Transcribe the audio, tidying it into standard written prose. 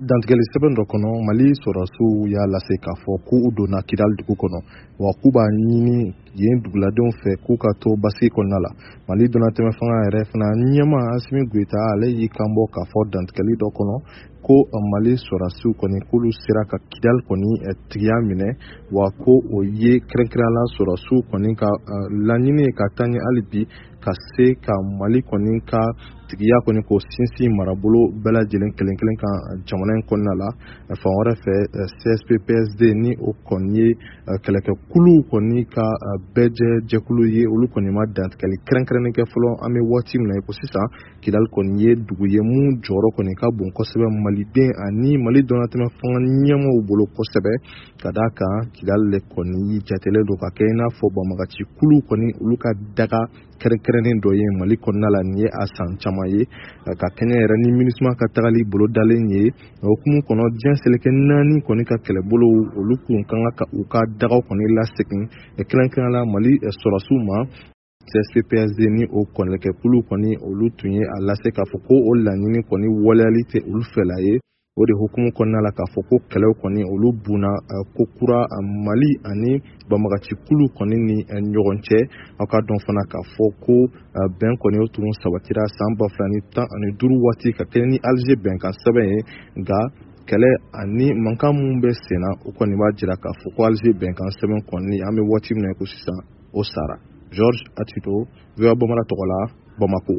Dantigɛli sɛbɛn dɔ kɔnɔ, Mali sɔrɔdasiw y'a lase k'a fɔ ko u donna Kidal dugu kɔnɔ, wa k'u b'a ɲini yen duguladenw fɛ k'u ka to basigi kɔnɔna la. Mali donnatɛmɛ fanga yɛrɛ fana ɲɛmaa Asimi Goyita, ale y'i kanbɔ k'a fɔ dantigɛli dɔ kɔnɔ ko Mali sɔrɔdasiw kɔni, k'olu sera ka Kidal kɔni tigiya minɛ, wa ko o ye kɛrɛnkɛrɛnnenya la sɔrɔdasiw kɔni ka laɲini ye ka taa ɲɛ hali bi ka se ka Mali kɔni ka tigiya kɔni k'o sinsin marabolo bɛɛ lajɛlen kelen kelen kan jamana in kɔnɔna la. Fan wɛrɛ fɛ, CSP-PSD, ni o kɔni ye kɛlɛkɛkuluw kɔni ka bɛɛjɛ jɛkulu ye, olu kɔni ma dantigɛli kɛrɛnkɛrɛnnen kɛ fɔlɔ. An bɛ waati min na i ko sisan, Kidali kɔni ye dugu ye mun jɔyɔrɔ kɔni ka bon kosɛbɛ maliden ani Mali donnatɛmɛ fanga ɲɛmaaw bolo kosɛbɛ, ka d'a kan Kidali de kɔni jatelen don ka kɛ i n'a fɔ banbagaci kuluw kɔni olu ka daga kɛrɛnkɛrɛnnen dɔ ye Mali kɔnɔna la. Nin ye a san caman ye ka kɛɲɛ yɛrɛ ni MINUSMA ka tagali bolodalen ye. O hukumu kɔnɔ, diɲɛ seleke naani kɔni ka kɛlɛbolow, olu kun ka kan ka u ka dagaw kɔni lasegin, kɛrɛnkɛrɛnnenya la Mali sɔrɔdasiw ma. CSP-PSD ni o kɛlɛkɛkulu kɔni, olu tun ye a lase k'a fɔ ko o laɲini kɔni waleyali tɛ olu fɛla ye. O de hukumu kɔnɔna la, k'a fɔ ko kɛlɛw kɔni olu bunna ko kura Mali ani banbagacikulu kɔni ni ɲɔgɔn cɛ. Aw ka dɔn fana k'a fɔ ko bɛn kɔni o tun sabatira san 2015 waati ka kɛɲɛ ni Alger bɛnkan sɛbɛn ye, nka kɛlɛ ani mankan minnu bɛ sen na, o kɔni b'a jira k'a fɔ ko Alger bɛnkan sɛbɛn kɔni, an bɛ waati min na ko sisan, o sara. George Atito, VOA Bambara tɔgɔ la, Bamako.